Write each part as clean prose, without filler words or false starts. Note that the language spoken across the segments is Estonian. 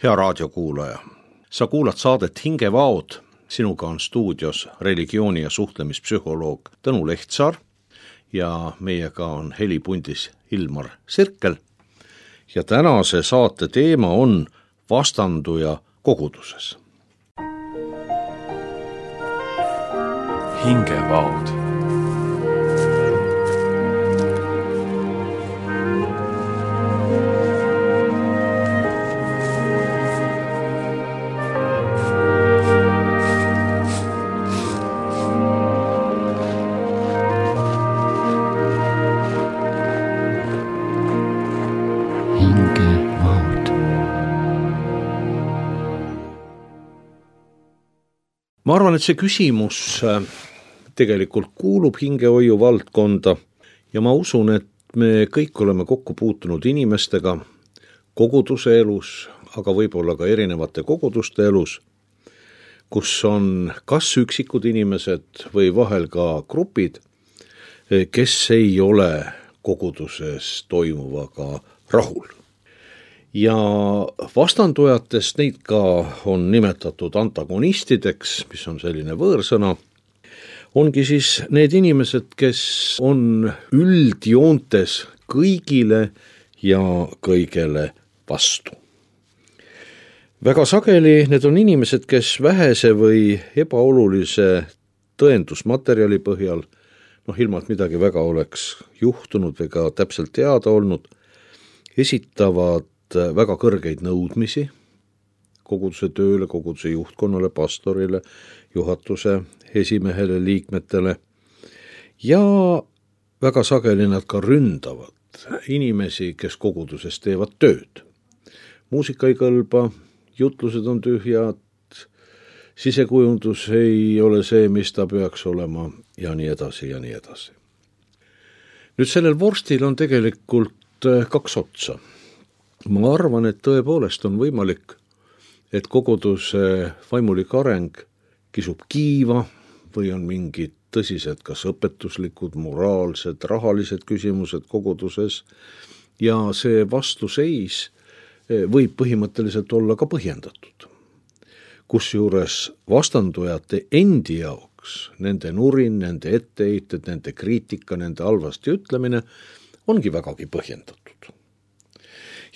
Hea raadiokuulaja, sa kuulad saadet Hingevaod, sinuga on stuudios religiooni- ja suhtlemispsühholoog Tõnu Lehtsaar ja meiega on helipundis Ilmar Sirkel. Ja tänase saate teema on vastanduja koguduses. Hingevaod. Ma arvan, et see küsimus tegelikult kuulub hingehoiu valdkonda ja ma usun, et me kõik oleme kokku puutunud inimestega koguduse elus, aga võib-olla ka erinevate koguduste elus, kus on kas üksikud inimesed või vahel ka grupid, kes ei ole koguduses toimuvaga rahul. Ja vastandujatest neid ka on nimetatud antagonistideks, mis on selline võõrsõna, ongi siis need inimesed, kes on üldjoontes kõigile ja kõigele vastu. Väga sageli need on inimesed, kes vähese või ebaolulise tõendusmaterjali põhjal, ilma et midagi väga oleks juhtunud või ka täpselt teada olnud, esitavad väga kõrgeid nõudmisi koguduse tööle, koguduse juhtkonnale, pastorile, juhatuse esimehele, liikmetele ja väga sageli nad ka ründavad inimesi, kes koguduses teevad tööd. Muusika ei kõlba, jutlused on tühjad, sisekujundus ei ole see, mis ta peaks olema ja nii edasi ja nii edasi. Nüüd sellel vorstil on tegelikult kaks otsa. Ma arvan, et tõepoolest on võimalik, et koguduse vaimulik areng kisub kiiva või on mingid tõsised kas õpetuslikud, moraalsed, rahalised küsimused koguduses ja see vastuseis võib põhimõtteliselt olla ka põhjendatud. Kusjuures vastandujate endi jaoks, nende nurin, nende etteheited, nende kriitika, nende halvasti ütlemine ongi vägagi põhjendatud.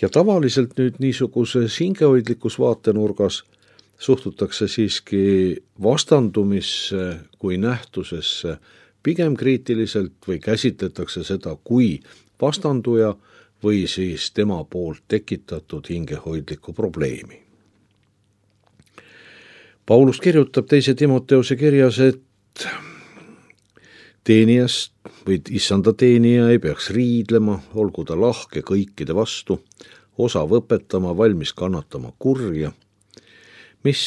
Ja tavaliselt nüüd niisuguses hingehoidlikus vaatenurgas suhtutakse siiski vastandumisse kui nähtusesse pigem kriitiliselt või käsitletakse seda kui vastanduja või siis tema poolt tekitatud hingehoidlikku probleemi. Paulus kirjutab 2. Timoteuse kirjas, et teenijast või issanda teenija ei peaks riidlema, olgu ta lahke kõikide vastu, osav õpetama, valmis kannatama kurja, mis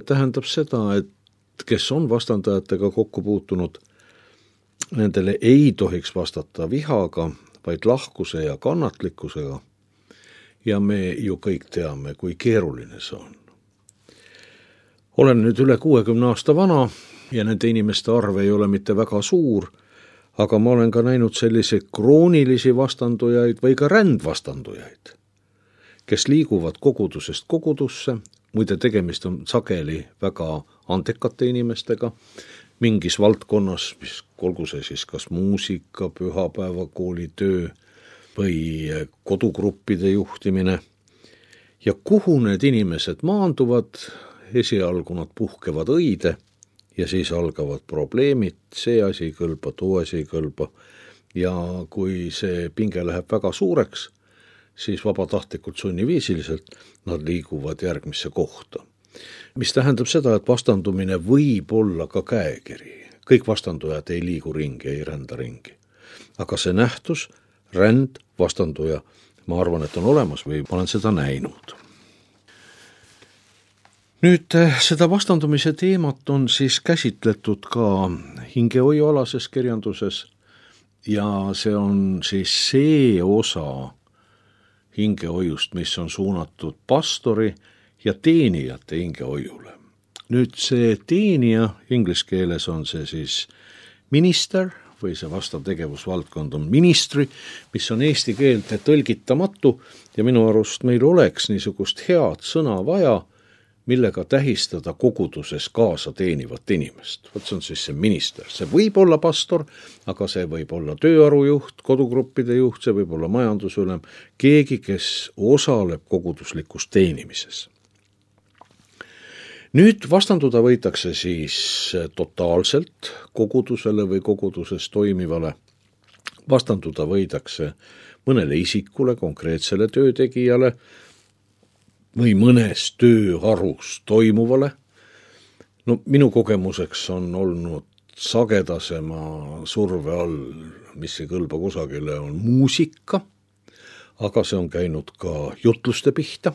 tähendab seda, et kes on vastandajatega kokku puutunud, nendele ei tohiks vastata vihaga, vaid lahkuse ja kannatlikkusega. Ja me ju kõik teame, kui keeruline see on. Olen nüüd üle 60 aasta vana ja nende inimeste arv ei ole mitte väga suur, aga ma olen ka näinud sellise kroonilisi vastandujaid või ka rändvastandujaid, kes liiguvad kogudusest kogudusse, muide tegemist on sageli väga andekate inimestega, mingis valdkonnas, mis olgu see siis kas muusika, pühapäevakooli töö või kodugruppide juhtimine. Ja kuhu need inimesed maanduvad, esialgu nad puhkevad õide ja siis algavad probleemid, see asi ei kõlba, too asi ei kõlba ja kui see pinge läheb väga suureks, siis vabatahtlikult sunniviisiliselt nad liiguvad järgmisse kohta. Mis tähendab seda, et vastandumine võib olla ka käekiri. Kõik vastandujad ei liigu ringi, ei rända ringi. Aga see nähtus, ränd, vastanduja, ma arvan, et on olemas või ma olen seda näinud. Nüüd seda vastandumise teemat on siis käsitletud ka hingehoiualases kirjanduses ja see on siis see osa hingehoiust, mis on suunatud pastori ja teenijate hingehoiule. Nüüd see teenija, inglise keeles on see siis minister või see vastav tegevusvaldkond on ministry, mis on eesti keelde tõlgitamatu ja minu arust meil oleks niisugust head sõna vaja, millega tähistada koguduses kaasa teenivat inimest. Võt see on siis see minister. See võib olla pastor, aga see võib olla tööarujuht, kodugruppide juht, see võib olla majandusülem, keegi, kes osaleb koguduslikus teenimises. Nüüd vastanduda võitakse siis totaalselt kogudusele või koguduses toimivale. Vastanduda võidakse mõnele isikule, konkreetsele töötegijale või mõnes tööharus toimuvale. No minu kogemuseks on olnud sagedasema surve all, mis ei kõlba kusagile, on muusika, aga see on käinud ka jutluste pihta,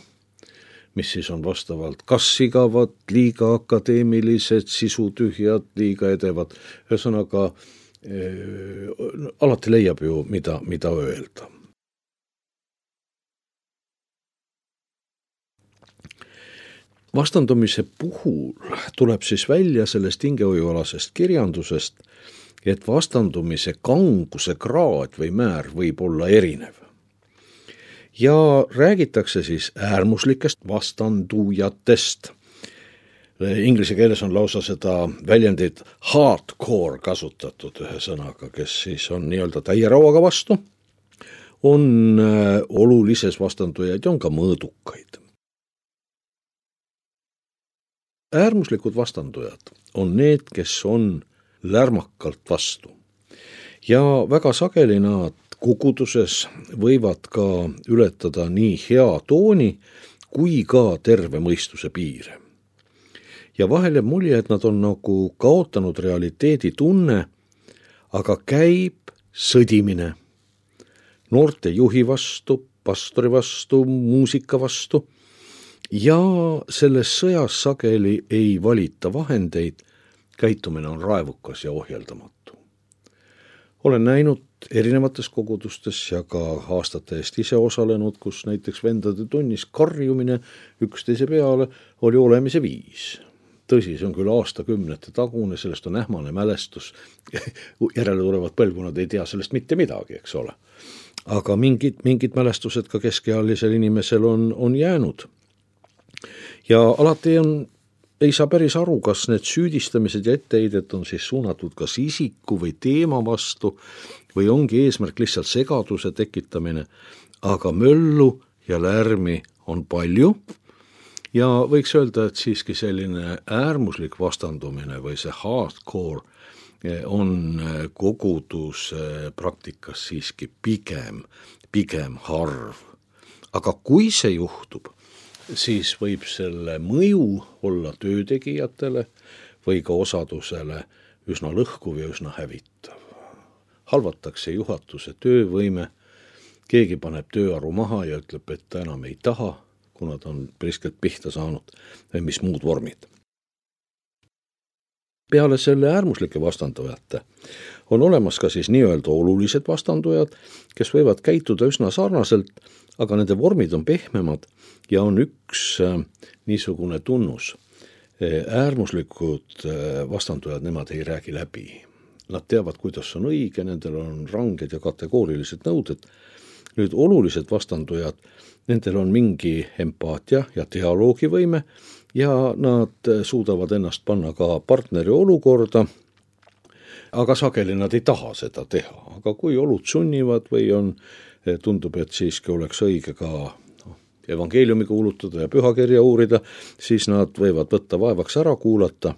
mis siis on vastavalt kas igavad, liiga akadeemilised, sisutühjad, liiga edevad. Ühesõnaga, alati leiab ju, mida öelda. Vastandumise puhul tuleb siis välja sellest hingehoiualasest kirjandusest, et vastandumise kanguse kraad või määr võib olla erinev. Ja räägitakse siis äärmuslikest vastandujatest. Inglise keeles on lausa seda väljendit hardcore kasutatud ühe sõnaga, kes siis on nii-öelda täie rauaga vastu, on olulises vastandujaid ja on ka mõõdukaid. Äärmuslikud vastandujad on need, kes on lärmakalt vastu. Ja väga sageli nad koguduses võivad ka ületada nii hea tooni kui ka terve mõistuse piire. Ja vahel jääb mulje, et nad on nagu kaotanud realiteedi tunne, aga käib sõdimine noorte juhi vastu, pastori vastu, muusika vastu. Ja selles sõjas sageli ei valita vahendeid, käitumine on raevukas ja ohjeldamatu. Olen näinud erinevates kogudustes ja ka aastate eest ise osalenud, kus näiteks vendade tunnis karjumine üksteise peale oli olemise viis. Tõsi, see on küll aastakümnete tagune, sellest on ähmane mälestus. Järele tulevad põlvkonnad ei tea sellest mitte midagi, eks ole. Aga mingid mälestused ka keskealisel inimesel on jäänud. Ja alati ei saa päris aru, kas need süüdistamised ja etteheidet on siis suunatud kas isiku või teema vastu või ongi eesmärk lihtsalt segaduse tekitamine, aga möllu ja lärmi on palju ja võiks öelda, et siiski selline äärmuslik vastandumine või see hardcore on koguduse praktikas siiski pigem harv. Aga kui see juhtub, siis võib selle mõju olla töötegijatele või ka osadusele üsna lõhkuv ja üsna hävitav. Halvatakse juhatuse töövõime, keegi paneb tööaru maha ja ütleb, et ta enam ei taha, kuna ta on priskelt pihta saanud või mis muud vormid. Peale selle äärmuslike vastandujate on olemas ka siis nii-öelda olulised vastandujad, kes võivad käituda üsna sarnaselt, aga nende vormid on pehmemad ja on üks niisugune tunnus. Äärmuslikud vastandujad, nemad ei räägi läbi. Nad teavad, kuidas on õige, nendel on ranged ja kategoorilised nõuded. Nüüd olulised vastandujad, nendel on mingi empaatia ja dialoogivõime ja nad suudavad ennast panna ka partneri olukorda, aga sageli nad ei taha seda teha. Aga kui olud sunnivad või tundub, et siiski oleks õige ka evangeeliumi kuulutada ja pühakirja uurida, siis nad võivad võtta vaevaks ära kuulata,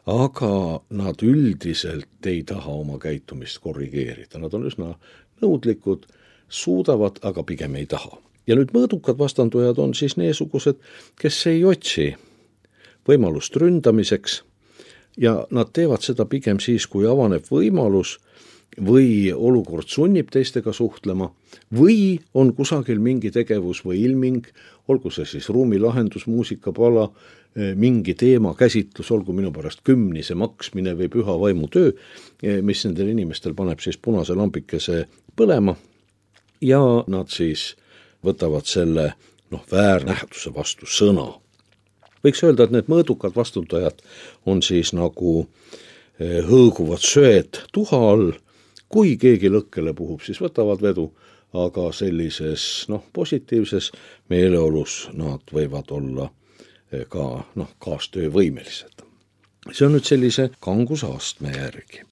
aga nad üldiselt ei taha oma käitumist korrigeerida. Nad on üsna nõudlikud, suudavad, aga pigem ei taha. Ja nüüd mõõdukad vastandujad on siis neesugused, kes ei otsi võimalust ründamiseks ja nad teevad seda pigem siis, kui avaneb võimalus või olukord sunnib teistega suhtlema või on kusagil mingi tegevus või ilming, olgu see siis ruumilahendus, muusikapala, mingi teema käsitlus, olgu minu pärast kümnise maksmine või püha vaimu töö, mis nendel inimestel paneb siis punase lampikese põlema ja nad siis võtavad selle väärnähtuse vastu sõna. Võiks öelda, et need mõõdukad vastundajad on siis nagu hõõguvad söed tuha all, kui keegi lõkkele puhub, siis võtavad vedu, aga sellises positiivses meeleolus nad võivad olla ka kaastöövõimelised. See on nüüd sellise kangusastme järgi.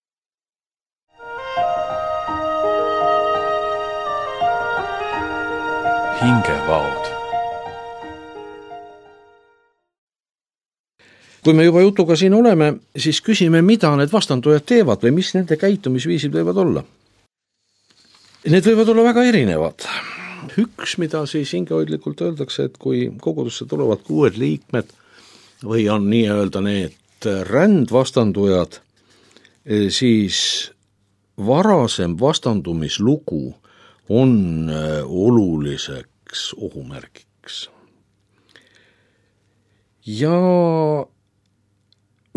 Hingevaod. Kui me juba jutuga siin oleme, siis küsime, mida need vastandujad teevad või mis nende käitumisviisid võivad olla. Need võivad olla väga erinevad. Üks, mida siis hingehoidlikult öeldakse, et kui kogudusse tulevad uued liikmed või on nii-öelda need rändvastandujad, siis varasem vastandumislugu on oluliseks ohumärgiks. Ja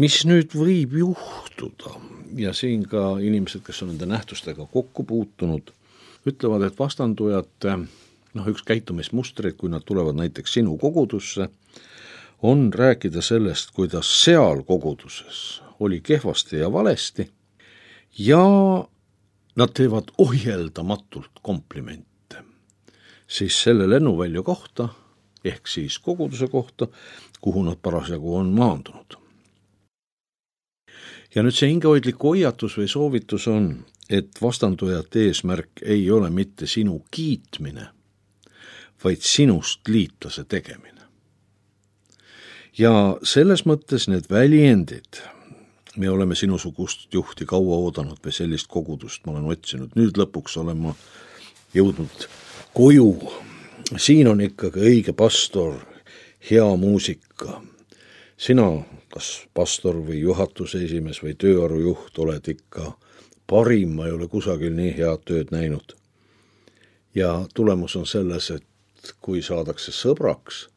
mis nüüd võib juhtuda, ja siin ka inimesed, kes on nende nähtustega kokku puutunud, ütlevad, et vastandujate üks käitumismustreid, kui nad tulevad näiteks sinu kogudusse, on rääkida sellest, kuidas seal koguduses oli kehvasti ja valesti ja nad teevad ohjeldamatult komplimente siis selle lennuvälja kohta ehk siis koguduse kohta, kuhu nad parasjagu on maandunud. Ja nüüd see hingehoidlik hoiatus või soovitus on, et vastandujate eesmärk ei ole mitte sinu kiitmine, vaid sinust liitlase tegemine. Ja selles mõttes need väljendid, me oleme sinusugust juhti kaua oodanud või sellist kogudust ma olen otsinud, nüüd lõpuks olen ma jõudnud koju, siin on ikkagi õige pastor, hea muusika, sina, kas pastor või juhatuse esimees või tööarujuht oled ikka parim, ma ei ole kusagil nii head tööd näinud. Ja tulemus on selles, et kui saadakse sõbraks,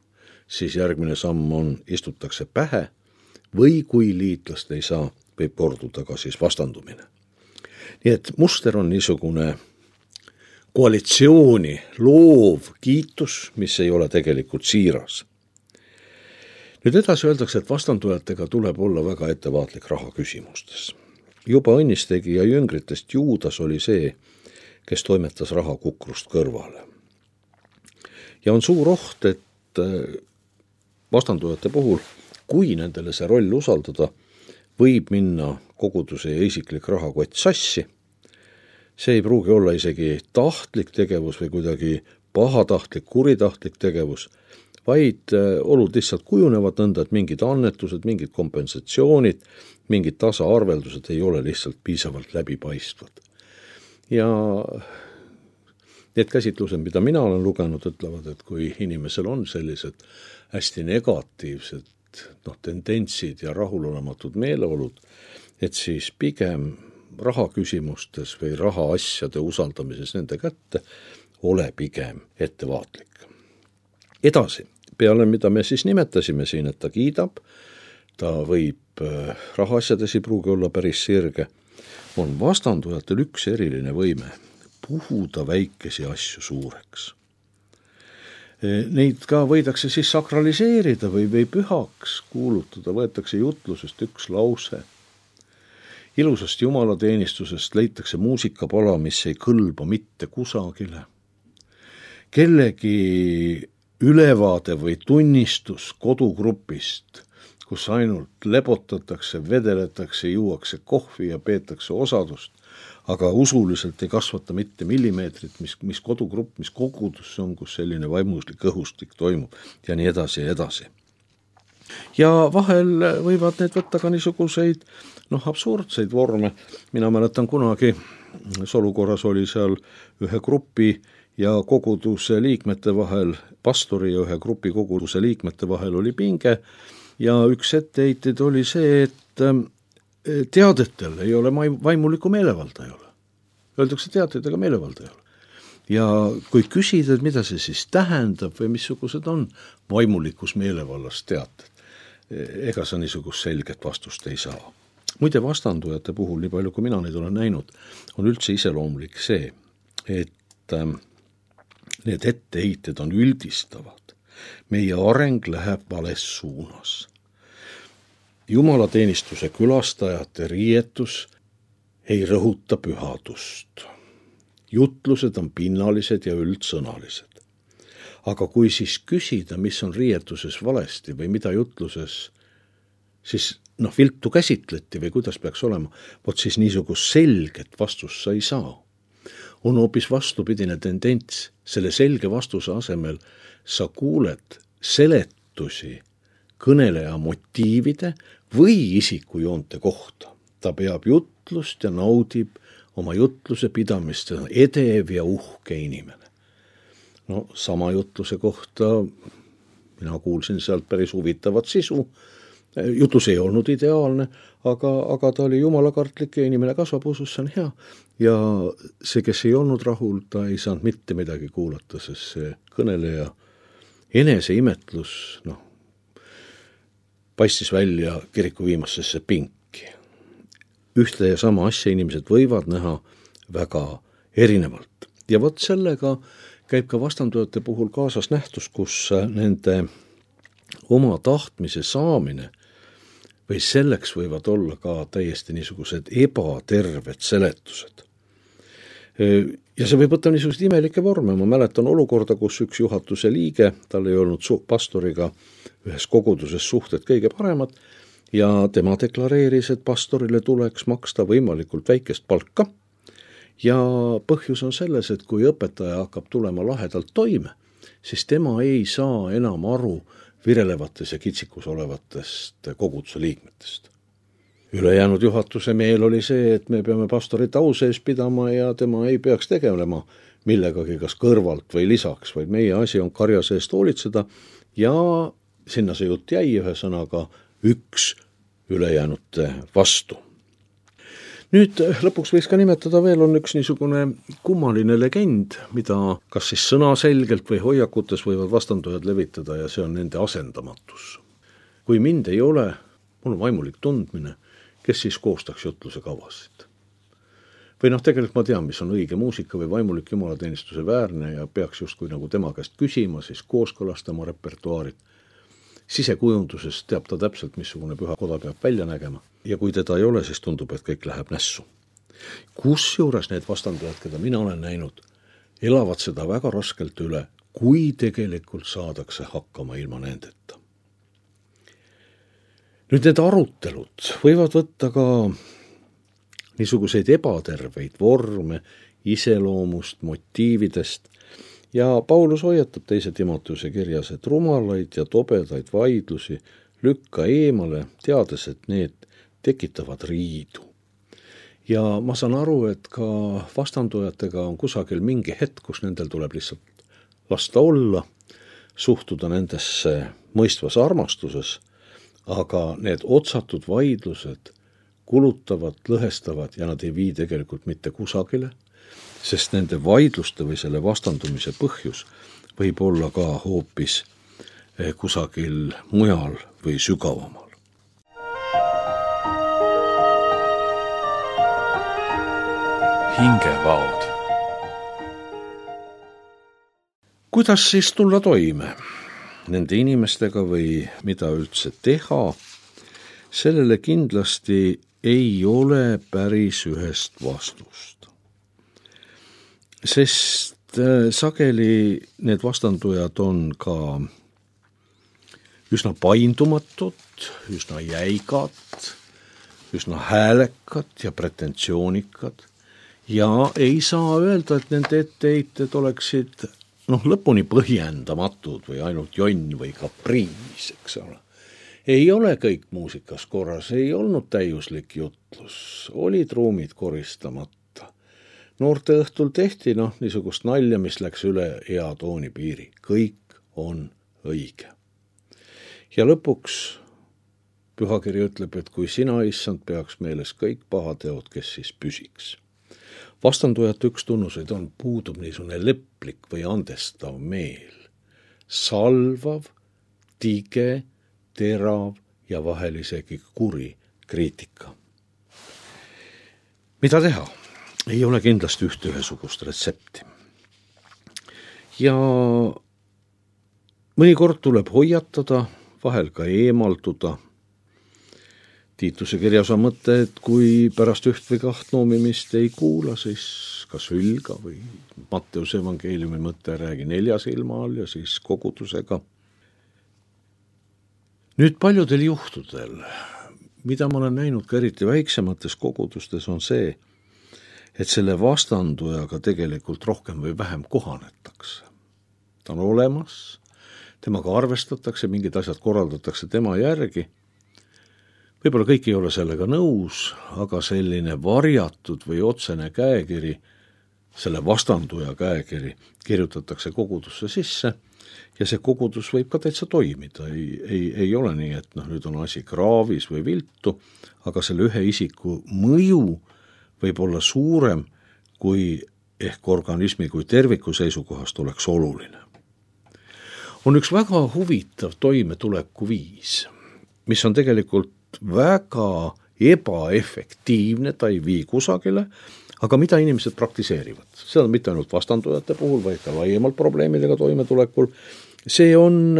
siis järgmine samm on, istutakse pähe või kui liitlast ei saa, võib korduda ka siis vastandumine. Nii et muster on niisugune koalitsiooni loov kiitus, mis ei ole tegelikult siiras. Nüüd edasi öeldakse, et vastandujatega tuleb olla väga ettevaatlik raha küsimustes. Juba õnnistegija jüngritest Juudas oli see, kes toimetas raha kukrust kõrvale. Ja on suur oht, et vastandujate puhul, kui nendele see roll usaldada, võib minna koguduse ja isiklik rahakott sassi. See ei pruugi olla isegi tahtlik tegevus või kuidagi pahatahtlik, kuritahtlik tegevus, vaid olud lihtsalt kujunevad nõnda, et mingid annetused, mingid kompensatsioonid, mingid tasaarveldused ei ole lihtsalt piisavalt läbipaistvad. Ja need käsitlused, mida mina olen lugenud, ütlevad, et kui inimesel on sellised hästi negatiivsed tendentsid ja rahulolematud meeleolud, et siis pigem rahaküsimustes või rahaasjade usaldamises nende kätte ole pigem ettevaatlik. Edasi, peale mida me siis nimetasime siin, et ta kiidab, ta võib rahaasjades ei pruugi olla päris sirge, on vastandujatel üks eriline võime puhuda väikesi asju suureks. Neid ka võidakse siis sakraliseerida või pühaks kuulutada, võetakse jutlusest üks lause. Ilusast jumalateenistusest leitakse muusikapala, mis ei kõlba mitte kusagile. Kellegi ülevaade või tunnistus kodugrupist, kus ainult lebotatakse, vedeletakse, juuakse kohvi ja peetakse osadust, aga usuliselt ei kasvata mitte millimeetrit, mis kodugrupp, mis kogudus on, kus selline vaimuslik õhustik toimub ja nii edasi ja edasi. Ja vahel võivad need võtta ka niisuguseid absurdseid vorme. Mina mäletan kunagi, olukorras oli seal ühe grupi ja koguduse liikmete vahel, pastori ja ühe grupi koguduse liikmete vahel oli pinge ja üks etteheiteid oli see, et teadetel ei ole vaimulikku meelevalda ei ole. Öeldakse teateid, aga meelevalda ei ole. Ja kui küsida, mida see siis tähendab või missugused on vaimulikus meelevallas teated, ega sa niisugust selget vastust ei saa. Muide vastandujate puhul, nii palju kui mina neid olen näinud, on üldse iseloomulik see, et need etteheited on üldistavad. Meie areng läheb vales suunas. Jumalateenistuse külastajate riietus ei rõhuta pühadust. jutlused on pinnalised ja üldsõnalised. Aga kui siis küsida, mis on riietuses valesti või mida jutluses siis viltu käsitleti või kuidas peaks olema, vot siis niisugust selget vastust sa ei saa. On hoopis vastupidine tendents. Selle selge vastuse asemel sa kuuled seletusi kõneleja motiivide või isikujoonte kohta. Ta peab jutlust ja naudib oma jutluse pidamist, edev ja uhke inimene. Sama jutluse kohta mina kuulsin sealt päris huvitavat sisu. Jutlus ei olnud ideaalne, aga ta oli jumalakartlik ja inimene kasvab usus, see on hea. Ja see, kes ei olnud rahul, ta ei saanud mitte midagi kuulata, sest see kõneleja eneseimetlus paistis välja kiriku viimasesse pinki. Ühte ja sama asja inimesed võivad näha väga erinevalt. Ja vot sellega käib ka vastandujate puhul kaasas nähtus, kus nende oma tahtmise saamine või selleks võivad olla ka täiesti niisugused ebaterved seletused. Ja see võib võtta niisugused imelikke vorme. Ma mäletan olukorda, kus üks juhatuse liige, tal ei olnud pastoriga ühes koguduses suhted kõige paremad ja tema deklareeris, et pastorile tuleks maksta võimalikult väikest palka. Ja põhjus on selles, et kui õpetaja hakkab tulema lahedalt toime, siis tema ei saa enam aru virelevates ja kitsikus olevatest koguduse liikmetest. Ülejäänud juhatuse meel oli see, et me peame pastorit au sees pidama ja tema ei peaks tegelema millegagi kas kõrvalt või lisaks, vaid meie asi on karja seest hoolitseda ja sinna see jutt jäi ühesõnaga üks ülejäänute vastu. Nüüd lõpuks võiks ka nimetada veel on üks niisugune kummaline legend, mida kas siis sõnaselgelt või hoiakutes võivad vastandujad levitada ja see on nende asendamatus. Kui mind ei ole, mul on vaimulik tundmine, kes siis koostaks jutluse kavasid. Või tegelikult ma tean, mis on õige muusika või vaimulik jumalateenistuse väärne ja peaks justkui nagu tema käest küsima, siis kooskõlastama repertuaarid. Sisekujunduses teab ta täpselt, missugune püha koda peab välja nägema. Ja kui teda ei ole, siis tundub, et kõik läheb nässu. Kusjuures need vastandujad, keda mina olen näinud, elavad seda väga raskelt üle, kui tegelikult saadakse hakkama ilma nendeta. Nüüd need arutelud võivad võtta ka niisuguseid ebaterveid vorme, iseloomust, motiividest ja Paulus hoiatab 2. Timoteuse kirjas, et rumalaid ja tobedaid vaidlusi lükka eemale, teades, et need tekitavad riidu. Ja ma saan aru, et ka vastandujatega on kusagil mingi hetk, kus nendel tuleb lihtsalt lasta olla, suhtuda nendesse mõistvas armastuses, aga need otsatud vaidlused kulutavad, lõhestavad ja nad ei vii tegelikult mitte kusagile, sest nende vaidluste või selle vastandumise põhjus võib olla ka hoopis kusagil mujal või sügavamal. Hingevaod. Kuidas siis tulla toime nende inimestega või mida üldse teha? Sellele kindlasti ei ole päris ühest vastust. Sest sageli need vastandujad on ka üsna paindumatud, üsna jäigad, üsna häälekad ja pretentsioonikad ja ei saa öelda, et nende etteheited oleksid lõpuni põhjendamatud või ainult jonn või kapriis, eks ole. Ei ole kõik muusikas korras, ei olnud täiuslik jutlus, olid ruumid koristamata. Noorte õhtul tehti niisugust nalja, mis läks üle hea tooni piiri. Kõik on õige. Ja lõpuks pühakiri ütleb, et kui sina, issand, peaks meeles kõik pahateod, kes siis püsiks. Vastandujate üks tunnuseid on, puudub niisugune leplik või andestav meel. Salvav, tige, terav ja vahel isegi kuri kriitika. Mida teha? Ei ole kindlasti ühesugust retsepti. Ja mõnikord tuleb hoiatada, vahel ka eemalduda. Tiituse kirjas on mõte, et kui pärast üht või kaht noomimist ei kuula, siis kas hülga või Matteuse evangeeliumi mõte räägi 4 silma all ja siis kogudusega. Nüüd paljudel juhtudel, mida ma olen näinud ka eriti väiksemates kogudustes, on see, et selle vastandujaga tegelikult rohkem või vähem kohanetakse. Ta on olemas, temaga arvestatakse, mingid asjad korraldatakse tema järgi. Võib-olla kõik ei ole sellega nõus, aga selline varjatud või otsene käekiri, selle vastanduja käekiri, kirjutatakse kogudusse sisse ja see kogudus võib ka täitsa toimida. Ei ole nii, et nüüd on asi kraavis või viltu, aga selle ühe isiku mõju võib olla suurem, kui ehk organismi kui terviku seisukohast oleks oluline. On üks väga huvitav toimetuleku viis, mis on tegelikult väga ebaefektiivne, ta ei vii kusagile, aga mida inimesed praktiseerivad. See on mitte ainult vastandujate puhul, vaid ka laiemalt probleemidega toimetulekul. See on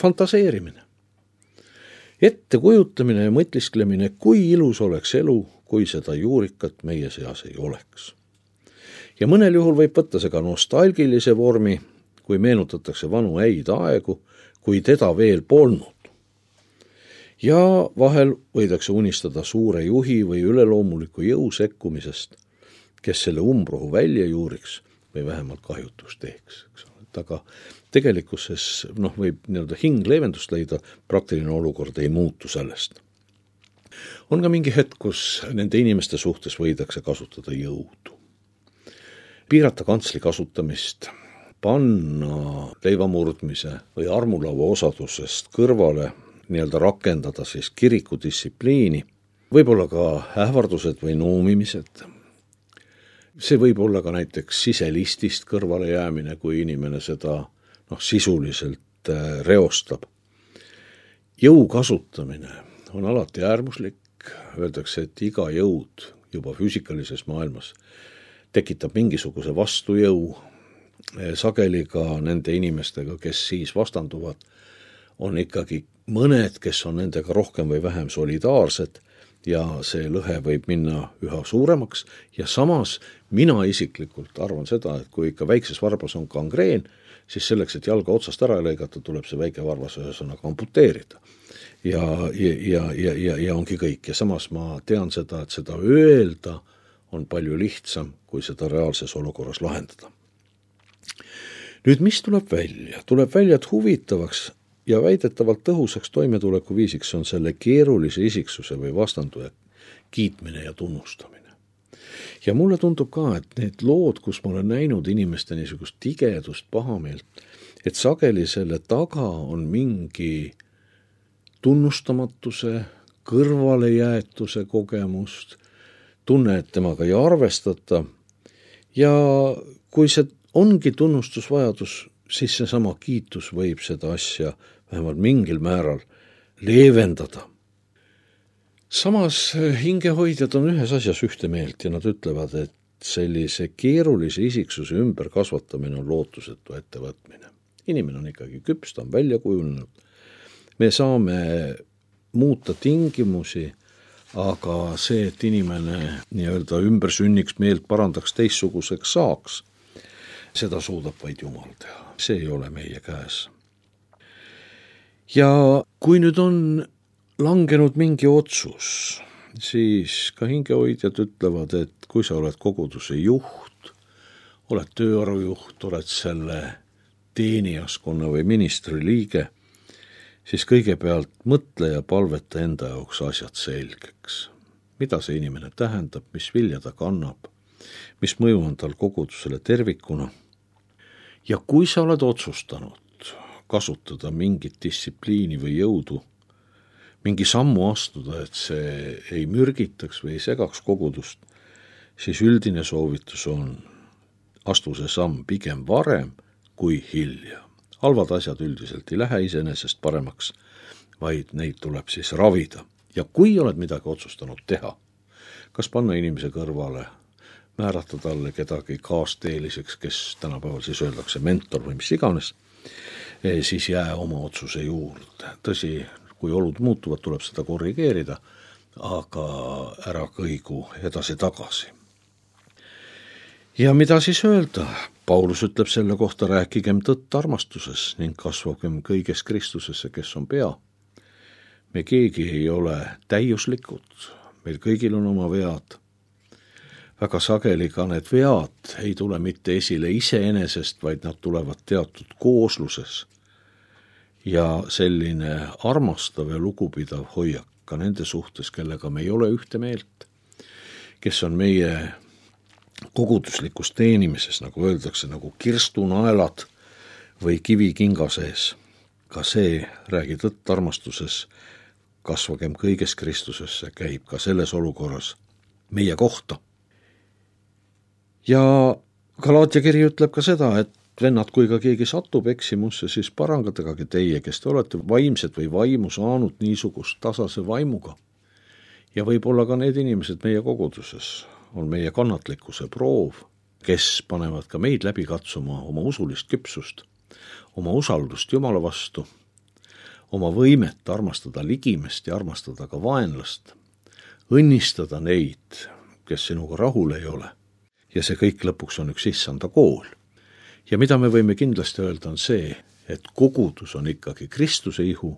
fantaseerimine. Ettekujutamine ja mõtisklemine, kui ilus oleks elu, kui seda juurikat meie seas ei oleks. Ja mõnel juhul võib võtta see ka nostalgilise vormi, kui meenutatakse vanu häid aegu, kui teda veel polnud. Ja vahel võidakse unistada suure juhi või üleloomuliku jõu sekkumisest, kes selle umbrohu välja juuriks või vähemalt kahjutus teeks. Aga tegelikkuses võib hing leevendust leida, praktiline olukord ei muutu sellest. On ka mingi hetk, kus nende inimeste suhtes võidakse kasutada jõudu. Piirata kantsli kasutamist, panna leivamurdmise või armulava osadusest kõrvale, rakendada siis kirikudistsipliini, võib-olla ka ähvardused või noomimised. See võib olla ka näiteks siselistist kõrvale jäämine, kui inimene seda sisuliselt reostab. Jõu kasutamine on alati äärmuslik, öeldakse, et iga jõud juba füüsikalises maailmas tekitab mingisuguse vastujõu, sageli ka nende inimestega, kes siis vastanduvad, on ikkagi mõned, kes on nendega rohkem või vähem solidaarsed ja see lõhe võib minna üha suuremaks ja samas mina isiklikult arvan seda, et kui ikka väikses varbas on gangreen, siis selleks, et jalga otsast ära lõigata, tuleb see väike varbas ühesõnaga amputeerida. Ja ongi kõik. Ja samas ma tean seda, et seda öelda on palju lihtsam, kui seda reaalses olukorras lahendada. Nüüd, mis tuleb välja? Tuleb välja, et huvitavaks ja väidetavalt tõhusaks toimetuleku viisiks on selle keerulise isiksuse või vastanduja kiitmine ja tunnustamine. Ja mulle tundub ka, et need lood, kus ma olen näinud inimeste niisugust tigedust, pahameelt, et sageli selle taga on mingi tunnustamatuse, kõrvalejäetuse kogemust, tunne, et temaga ei arvestata ja kui see ongi tunnustusvajadus, siis seesama kiitus võib seda asja vähemalt mingil määral leevendada. Samas hingehoidjad on ühes asjas ühte meelt ja nad ütlevad, et sellise keerulise isiksuse ümber kasvatamine on lootusetu ettevõtmine. Inimene on ikkagi küps, ta on välja kujunenud. Me saame muuta tingimusi, aga see, et inimene ümber sünniks, meelt parandaks, teistsuguseks saaks, seda suudab vaid Jumal teha. See ei ole meie käes. Ja kui nüüd on langenud mingi otsus, siis ka hingehoidjad ütlevad, et kui sa oled koguduse juht, oled tööarujuht, oled selle teenijaskonna või ministri liige, siis kõigepealt mõtle ja palveta enda jaoks asjad selgeks. Mida see inimene tähendab, mis vilja ta kannab, mis mõju on tal kogudusele tervikuna. Ja kui sa oled otsustanud kasutada mingit distsipliini või jõudu, mingi sammu astuda, et see ei mürgitaks või ei segaks kogudust, siis üldine soovitus on astu see samm pigem varem kui hilja. Halvad asjad üldiselt ei lähe iseenesest paremaks, vaid neid tuleb siis ravida. Ja kui oled midagi otsustanud teha, kas panna inimese kõrvale, määrata talle kedagi kaasteeliseks, kes tänapäeval siis öeldakse mentor või mis iganes, siis jää oma otsuse juurde. Tõsi, kui olud muutuvad, tuleb seda korrigeerida, aga ära kõigu edasi-tagasi. Ja mida siis öelda? Paulus ütleb selle kohta, rääkigem tõtt armastuses ning kasvagem kõiges Kristusesse, kes on pea. Me keegi ei ole täiuslikud, meil kõigil on oma vead. Väga sageli ka need vead ei tule mitte esile iseenesest, vaid nad tulevad teatud koosluses. Ja selline armastav ja lugupidav hoiak ka nende suhtes, kellega me ei ole ühte meelt, kes on meie koguduslikus teenimises, nagu öeldakse, nagu kirstunaelad või kivi kinga sees. Ka see, räägi tõtt armastuses, kasvagem kõiges Kristusesse, käib ka selles olukorras meie kohta. Ja Galaatia kiri ütleb ka seda, et vennad, kui ka keegi satub eksimusse, siis parangadagagi teie, kes te olete vaimsed või vaimu saanud niisugust tasase vaimuga. Ja võib-olla ka need inimesed meie koguduses on meie kannatlikkuse proov, kes panevad ka meid läbi katsuma oma usulist küpsust, oma usaldust Jumala vastu, oma võimet armastada ligimest ja armastada ka vaenlast, õnnistada neid, kes sinuga rahul ei ole. Ja see kõik lõpuks on üks issanda kool. Ja mida me võime kindlasti öelda on see, et kogudus on ikkagi Kristuse ihu,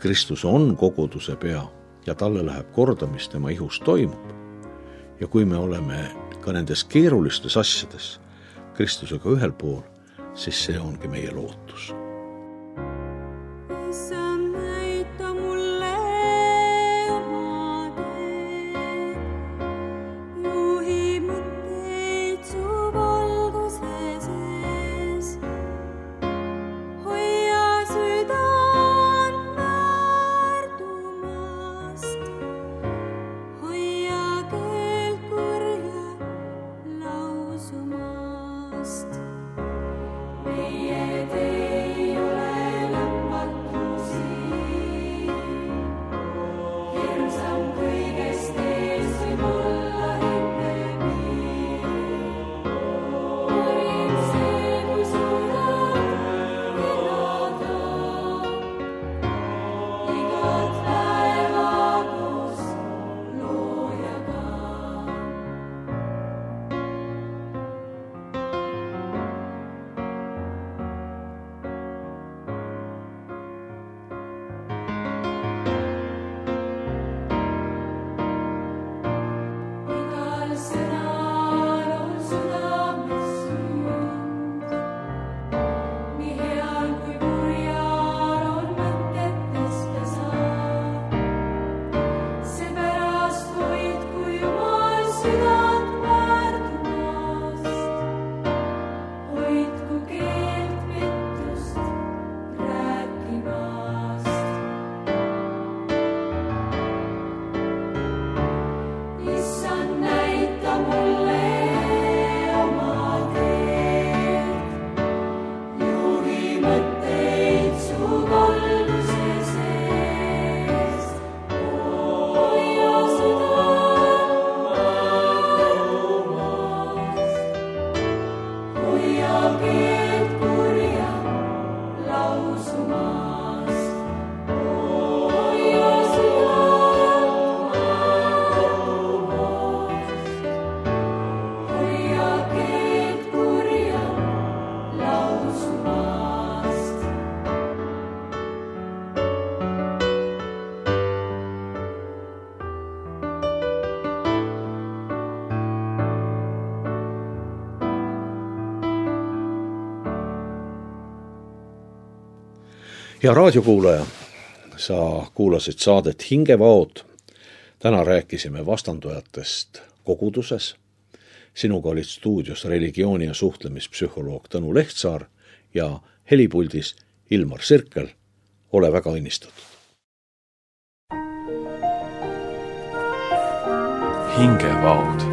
Kristus on koguduse pea ja talle läheb korda, mis tema ihus toimub. Ja kui me oleme ka nendes keerulistes asjades Kristusega ühel pool, siis see ongi meie lootus. Ja raadiokuulaja, sa kuulasid saadet Hingevaod. Täna rääkisime vastandujatest koguduses. Sinuga olid stuudios religiooni- ja suhtlemispsühholoog Tõnu Lehtsaar ja helipuldis Ilmar Sirkel. Ole väga õnnistatud. Hingevaod.